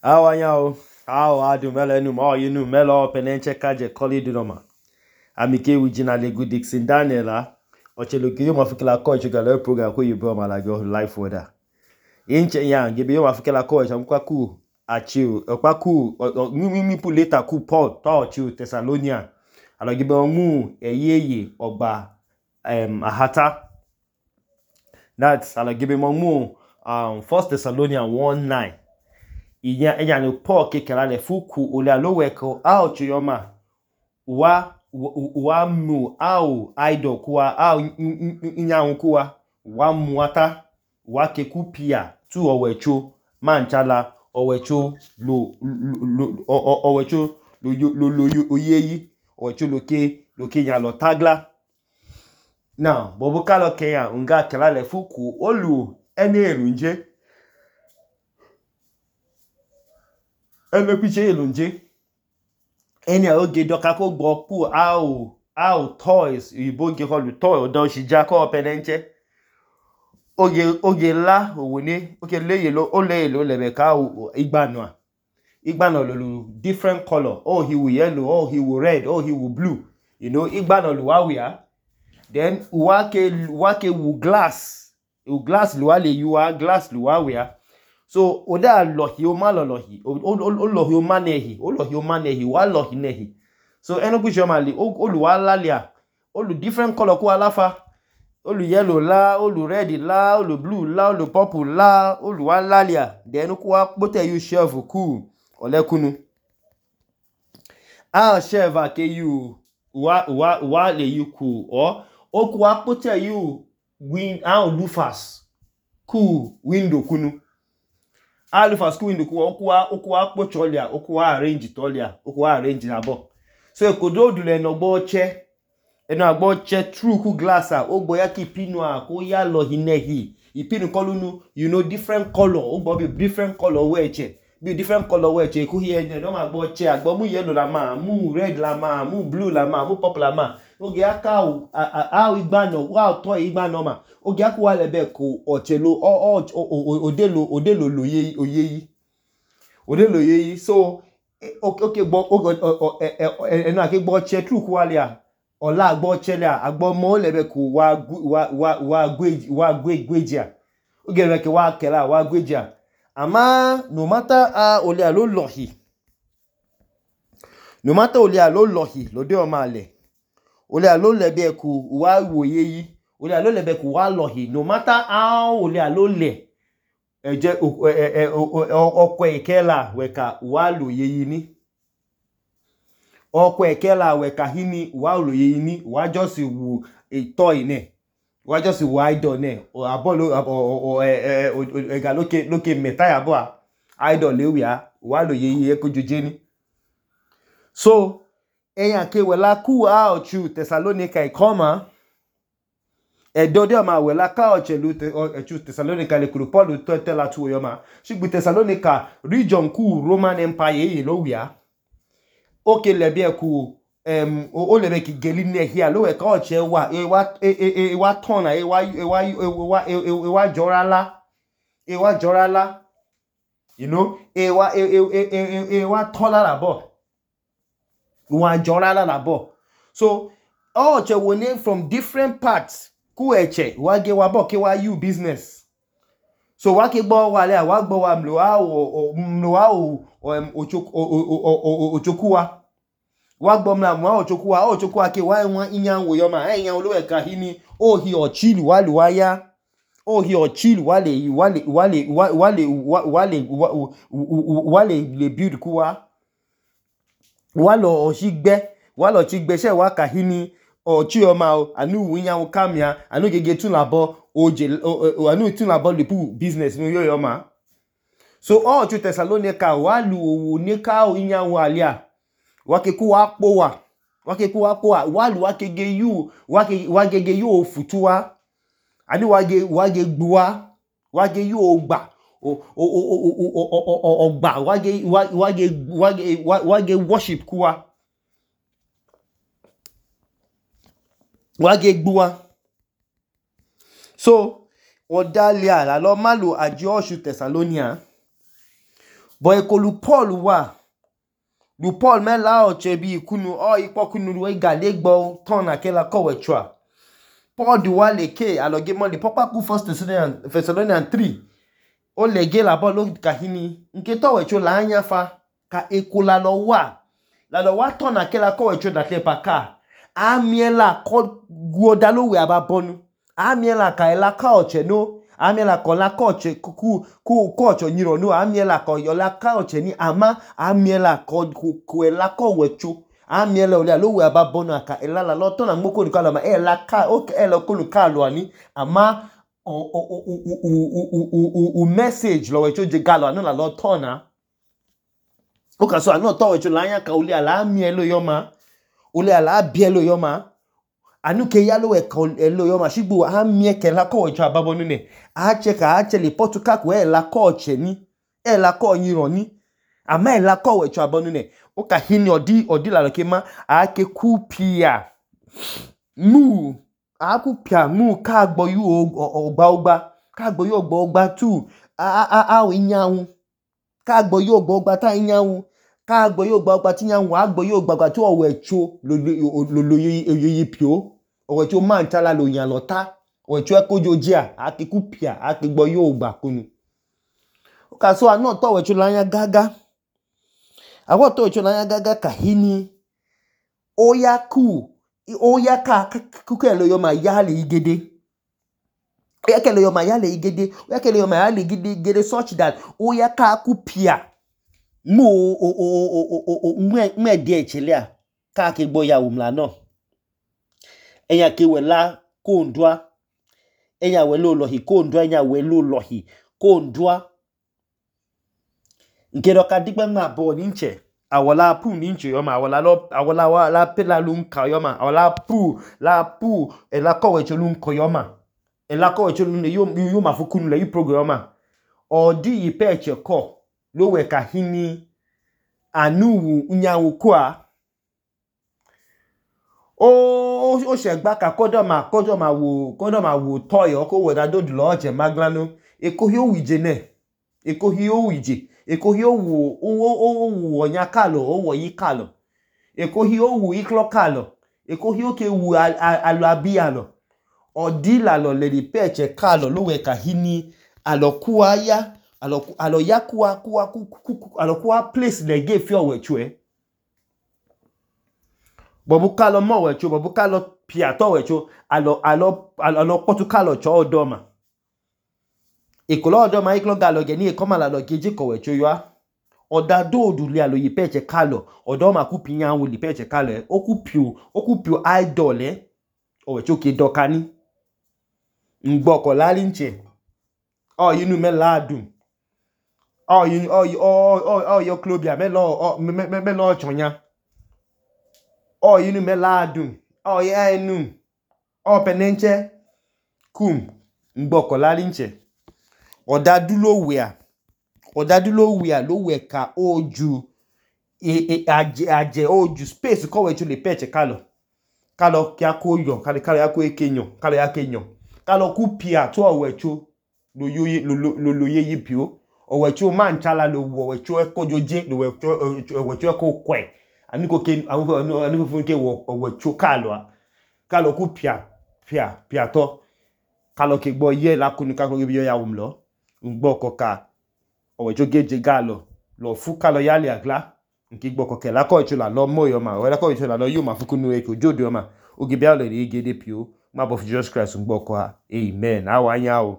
Awanyao, adu melenu ma yinu melo penenche kaje koli dinoma. Amike wijina legu Dixon Daniela. Ocheloki yo mafikila coach galo program ko yibo malago life weather. Inche yang gibe yo mafikila coach amkwa ku achiu. Okwa ku mi pu later ku Paul to achiu Thessalonia. Alo gibe omu eyeye ogba ahata. That's alo gibe omu 1 Thessalonians 1:9. Iya no Paul kekela le fuku ole aloweko au chiyoma wa mu au idol kuwa au inyanwu kuwa wa muata wa kekupia tu owecho manchala owecho lo oyeyi owecho loke nya lo tagla. Now bobu kalo keya unga kela le fuku olu ene erunje ene piche elunje ene oge doka ko gbo ku au toys iboge holu toy odo shija ko penenche oge la owone oge leye lo lebe ka igbano lo different color. Oh, he will yellow, oh, he will red, oh, he will blue. You know, igbano lo wawia. Then wake wu glass lo wale yuwa glass lo wawia. So oda lohi o ma lohi o lohi o manehi wa lohi nehi. So enoku jomali olu walalia olu different color ku alafa olu yellow la olu red la olu blue la olu purple la olu walalia then ku wa pote you chef ku olekunu chef ake you wa le you ku o ku wa pote you win lufas ku window kunu alufas ku window ku okuwa pocholia okuwa arrange tolia okuwa arrange abo. So ekodo dule no gbo che eno agbo che true ku glass ogbo ya ki pinu ko ya lo hinehi ipinu kolunu you know different color ogbo be different color weche be different color weche ku here no ma gbo che agbo mu yellow la ma mu red la ma mu blue la ma mu purple la ma oge aka igbano wa to igbano ma oge aku wa lebe ko ochelo odelo loyeyi so okay gbo eno ake gbo che true ku alia ola agbo chelia agbo mo lebe ku wa gwejia oge reke wa kela wa gwejia ama no matter ole alo lohi lode o ma le ole alo lebe ku wa woyeyi ole alo lebe ku wa lohi no matter how ole alo le eje okwe ikela weka wa loyeyi ni okwe ikela weka hini wa loyeyi ni wa just wu toy ne wa just wu idol ne abolo ega loke meta ya bo idol lewia wa loyeyi ekojoje ni. So eyan ke wela ku ochu Thessalonica ikoma edode ma wela ka ochu Thessalonica le kuru Paul to tela tu yoma shigbu Thessalonica region ku Roman Empire lo wia oke lebe ku o lebe ki geline here lo we ka oche wa wa ton wa jorala you know wa tola la bo wa jorala la bo. So oche wone from different parts ku eche wa ge wa bo ke wa you business. So wa ke gbo wa le wa gbo wa ochokuwa wa gbo mla ochokuwa ke wa won inyanwo yo ma eyan olowe ka hini o hi ochilu wa lu wa ya o hi ochilu wale le build kuwa wa lo chigbe se wa ka hini ochi o ma anu inyanwo kamia anu gege tun labo anu tun labo le pu business no yo ma. So ochu Thessalonica wa lu owo ni ka inyanwo alia wa ke ku wa po wa lu wa kege you ofutuwa ani wa ge gbuwa wa ge you ogba ogba wa ge worship kuwa wa ge gbuwa. So odalia la lo malu aji ochu Thessalonia But ekolu Paul wa. Lu Paul me la oche bi kunu ipo kunu we gale gbo ton akela ko wechua. Paul du wa leke aloge mo le papa ku 1 Thessalonians 3. O lege la bo lo kahini. Nke to wecho la anya fa ka ekola lo wa. La lo wa ton akela ko wecho da pa ka. Amiela ko guodalo we ababonu. Amiela ka ela ka oche no. Amiela ko la ko oche ku oche nyiro no. Amiela ko yo la ka oche ni ama amiela ko ela ko wecho. Amiela ole lo we ababonu aka ela la lo ton na moko ni ka lo ma ela ka o ela ko lu ka lo ani ama o message lo wecho je galo anu la lo ton na. O ka so anu to wecho la anya ka ole ala amielo yoma. Ole ala bielo yoma. Anu ke yalo we elo yoma shigbu amie ke la ko wecho ababonu ne. Ache le potuka ku ela ko oche ni. Ela ko nyiro ni. Ama ela ko wecho ababonu ne. O ka hini odi la loke ma ake kupia. Mu akupia mu ka gbo yu ogba. Ka gbo yu ogba tu. Inyawu. Ka gbo yu ogba ta inyawu. Ka gbo yu ogba ti inyawu. Agbo yu ogba tu owecho lo yoyi pio. Owecho man tala lo yan lota. Owecho ekojojia. Ake kupia. Ake gbo yu ogba kunu. O ka so anu to wecho la anya gaga. Awo to wecho la anya gaga kahini. Oya ka kukelo yo ma yale igede. Oya kelo yo ma yale igede. Oya kelo yo ma yale igede such that oya ka kupia. Mwe die chelea. Ka ke gbo ya umla no. Enya ke we la kondwa. Enya we lo lohi kondwa. Enya we lo lohi kondwa. Nkero ka dikbe nga bo ninche. Awola pu ninche yoma. Awola la pela lunka yoma. Awola pu la pu ela ko wecho lunko yoma. Ela ko wecho lunne yoma fukunu le yu program yoma. Odi ipeche ko lo we kahini anu unyawu kwa. O shegba ka kodo ma wo toyo ko we da do lo oje maglano. Eko hi o wije ne. Eko hi o wije. Eko hi o wu onya kalo, o wo yi kalo. Eko hi o wu iklo kalo. Eko hi o ke wu alo abi alo. Odi la lo le di peche kalo lo we kahini alo kuwa ya. Alo ya kuwa place le ge fi owechwe. Bobu kalo mo wecho, bobu kalo piato wecho, alo potu kalo cho odoma. Ikolo odoma iklo galo geni ekoma la lo geji ko wecho yoa. Oda do li alo yipeche kalo, odoma kupi nyanwu li peche kalo okupio idol owecho ke dokani. Ngboko lali nche. Yinu me ladun. Yo klobia me lo chonya. Yinu me ladun. Ya enu. Penenche. Ngboko lali nche. Odadulo wea lo we ka oju aje oju space ko wecho le peche kalo kia ko yo kalo ya ko ekenyo kalo ya kenyo kalo ku pia to owecho lo yeyi pio owecho man chala lo owecho ekojoje lo owecho eko kwe ani ko fun ke owecho kalo ku pia to kalo ke gbo ye la kunu ka ko bi yo ya wumlo ngboko ka owecho geje galo lo fu kalo yale agla nki gboko ke la ko icho la lo mo yo ma we la ko icho la lo yo ma fukunu e ko jodo ma ogi bia le igede pio ma bo Jesus Christ ngboko ha amen awanya o.